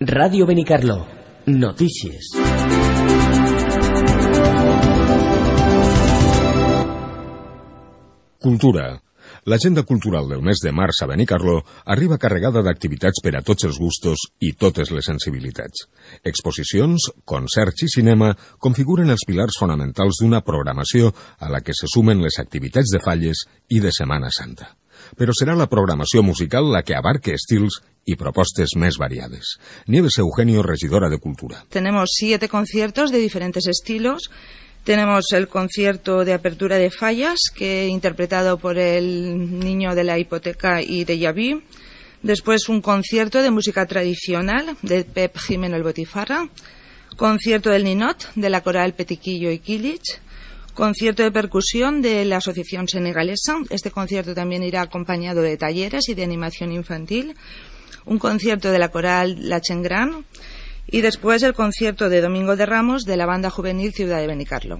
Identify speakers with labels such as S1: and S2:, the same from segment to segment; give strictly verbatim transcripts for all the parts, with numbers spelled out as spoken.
S1: Ràdio Benicarló. Notícies.
S2: Cultura. L'agenda cultural del mes de març a Benicarló arriba carregada d'activitats per a tots els gustos i totes les sensibilitats. Exposicions, concerts i cinema configuren els pilars fonamentals d'una programació a la que se sumen les activitats de falles i de Setmana Santa. Però serà la programació musical la que abarque estils y propostes más variadas. Nieves Eugenio, regidora de Cultura.
S3: Tenemos siete conciertos de diferentes estilos. Tenemos el concierto de apertura de Fallas, que interpretado por el Niño de la Hipoteca y de Yaví. Después un concierto de música tradicional de Pep Jimeno el Botifarra. Concierto del Ninot, de la coral Petiquillo y Kilich. Concierto de percusión de la Asociación Senegalesa. Este concierto también irá acompañado de talleres y de animación infantil. Un concierto de la coral La Chengran y después el concierto de Domingo de Ramos de la Banda Juvenil Ciudad de Benicarló.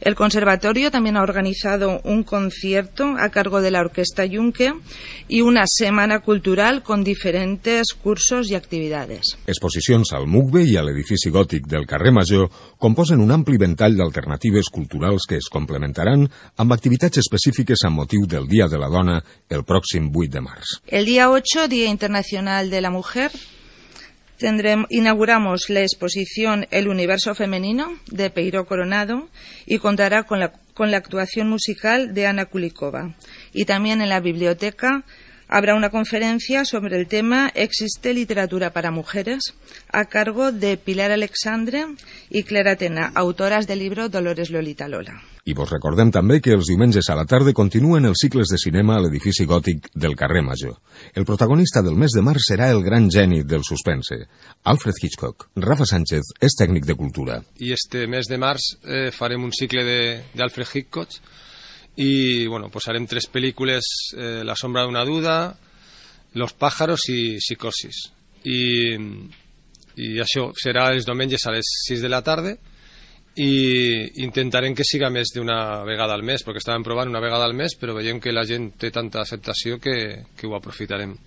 S3: El conservatorio también ha organizado un concierto a cargo de la Orquesta Yunque y una semana cultural con diferentes cursos y actividades.
S2: Exposicions al Mugbe i a l'edifici gòtic del carrer Major composen un ampli ventall d'alternatives culturals que es complementaran amb activitats específiques amb motiu del Dia de la Dona el pròxim vuit de març.
S3: El día ocho, Día Internacional de la Mujer, Tendremos, inauguramos la exposición El Universo Femenino de Peiró Coronado y contará con la, con la actuación musical de Ana Kulikova. Y también en la biblioteca habrá una conferencia sobre el tema ¿Existe literatura para mujeres? A cargo de Pilar Alexandre y Clara Tena, autoras del libro Dolores Lolita Lola.
S2: I vos recordem també que els diumenges a la tarda continuen els cicles de cinema a l'edifici gòtic del carrer Major. El protagonista del mes de març serà el gran geni del suspense, Alfred Hitchcock. Rafa Sánchez és tècnic de cultura.
S4: I este mes de març eh, farem un cicle d'Alfred Hitchcock i bueno, pues harem tres pel·lícules, eh, La sombra de una duda, Los pájaros i Psicosis. I, i això serà els diumenges a les sis de la tarda i intentarem que siga més d'una vegada al mes, perquè estàvem provant una vegada al mes, però veiem que la gent té tanta acceptació que, que ho aprofitarem.